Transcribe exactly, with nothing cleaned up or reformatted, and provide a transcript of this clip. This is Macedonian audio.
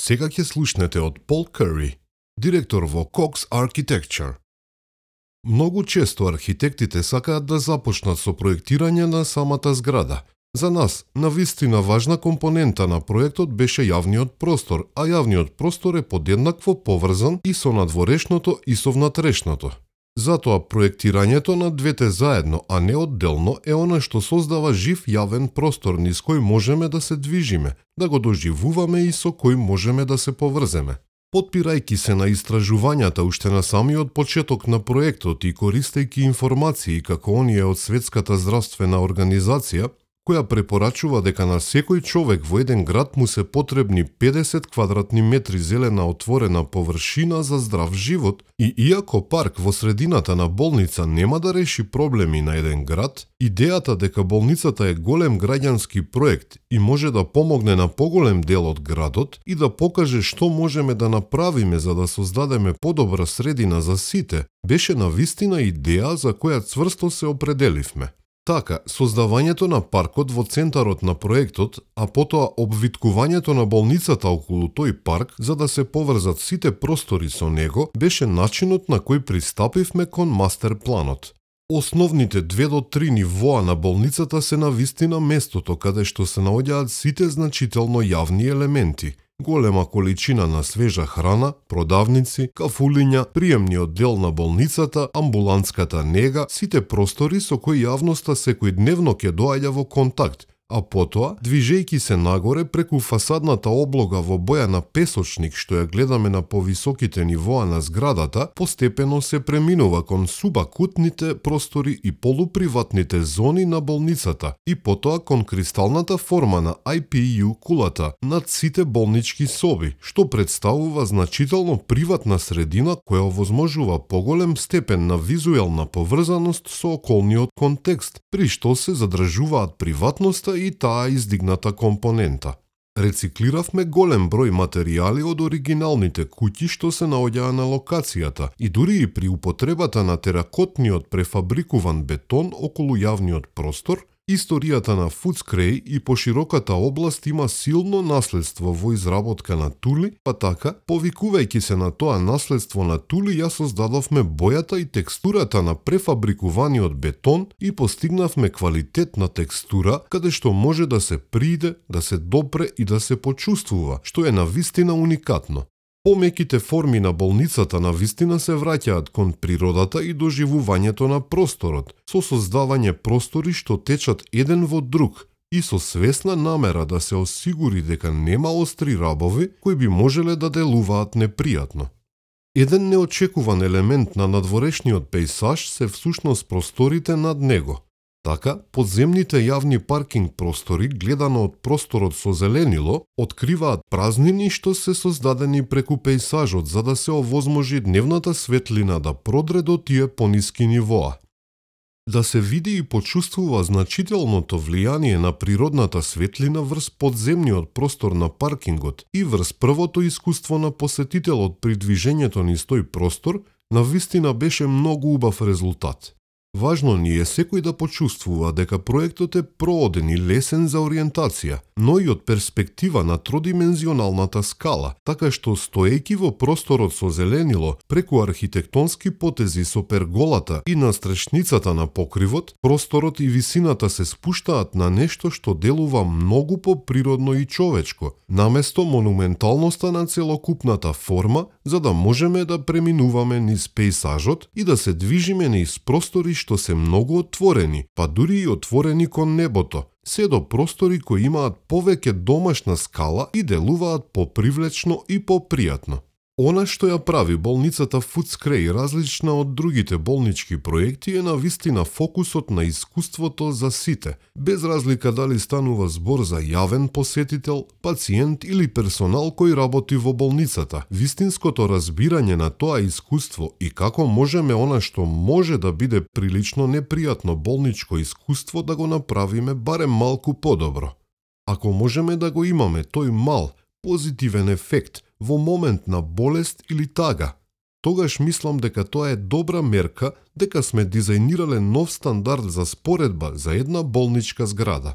Сега ќе слушнете од Пол Кури, директор во Cox Architecture. Многу често архитектите сакаат да започнат со проектирање на самата зграда. За нас, навистина важна компонента на проектот беше јавниот простор, а јавниот простор е подеднакво поврзан и со надворешното и со внатрешното. Затоа проектирањето на двете заедно, а не одделно, е она што создава жив јавен простор низ кој можеме да се движиме, да го доживуваме и со кој можеме да се поврземе. Потпирајќи се на истражувањата уште на самиот почеток на проектот и користејќи информации како оние од Светската здравствена организација, која препорачува дека на секој човек во еден град му се потребни педесет квадратни метри зелена отворена површина за здрав живот, и иако парк во средината на болница нема да реши проблеми на еден град, идејата дека болницата е голем граѓански проект и може да помогне на поголем дел од градот и да покаже што можеме да направиме за да создадеме подобра средина за сите, беше навистина идеја за која цврсто се определивме. Така, создавањето на паркот во центарот на проектот, а потоа обвиткувањето на болницата околу тој парк за да се поврзат сите простори со него, беше начинот на кој пристапивме кон мастер планот. Основните две до три нивоа на болницата се навистина местото каде што се наоѓаат сите значително јавни елементи. Голема количина на свежа храна, продавници, кафулиња, приемниот дел на болницата, амбулантската нега, сите простори со кои јавноста секојдневно ќе доаѓа во контакт, а потоа, движејќи се нагоре преку фасадната облога во боја на песочник што ја гледаме на повисоките нивоа на зградата, постепено се преминува кон субакутните простори и полуприватните зони на болницата и потоа кон кристалната форма на Ай Пи Ју кулата над сите болнички соби, што представува значително приватна средина која овозможува поголем степен на визуелна поврзаност со околниот контекст, при што се задржуваат приватноста и таа издигната компонента. Рециклиравме голем број материјали од оригиналните куќи што се наоѓаа на локацијата и дури и при употребата на теракотниот префабрикуван бетон околу јавниот простор, историјата на Фудскреј и пошироката област има силно наследство во изработка на тули, па така, повикувајќи се на тоа наследство на тули, ја создадовме бојата и текстурата на префабрикуваниот бетон и постигнавме квалитетна текстура, каде што може да се приде, да се допре и да се почувствува, што е навистина уникатно. Помеките форми на болницата навистина се враќаат кон природата и доживувањето на просторот, со создавање простори што течат еден во друг и со свесна намера да се осигури дека нема остри рабови кои би можеле да делуваат непријатно. Еден неочекуван елемент на надворешниот пејсаж се всушност просторите над него. Така, подземните јавни паркинг простори, гледано од просторот со зеленило, откриваат празнини што се создадени преку пејсажот за да се овозможи дневната светлина да продре до тие пониски нивоа. Да се види и почувствува значителното влијание на природната светлина врз подземниот простор на паркингот и врз првото искуство на посетителот при движењето низ тој простор, навистина беше многу убав резултат. Важно ни е секој да почувствува дека проектот е прооден и лесен за ориентација, но и од перспектива на тродимензионалната скала, така што стоејќи во просторот со зеленило, преку архитектонски потези со перголата и настрешницата на покривот, просторот и висината се спуштаат на нешто што делува многу поприродно и човечко, наместо монументалноста на целокупната форма, за да можеме да преминуваме низ пејсажот и да се движиме низ простори што се многу отворени, па дури и отворени кон небото, се до простори кои имаат повеќе домашна скала и делуваат попривлечно и попријатно. Она што ја прави болницата Фудскреј различна од другите болнички проекти е навистина фокусот на искуството за сите, без разлика дали станува збор за јавен посетител, пациент или персонал кој работи во болницата. Вистинското разбирање на тоа искуство и како можеме она што може да биде прилично непријатно болничко искуство да го направиме барем малку подобро. Ако можеме да го имаме тој мал, позитивен ефект во момент на болест или тага, тогаш мислам дека тоа е добра мерка дека сме дизајнирале нов стандард за споредба за една болничка зграда.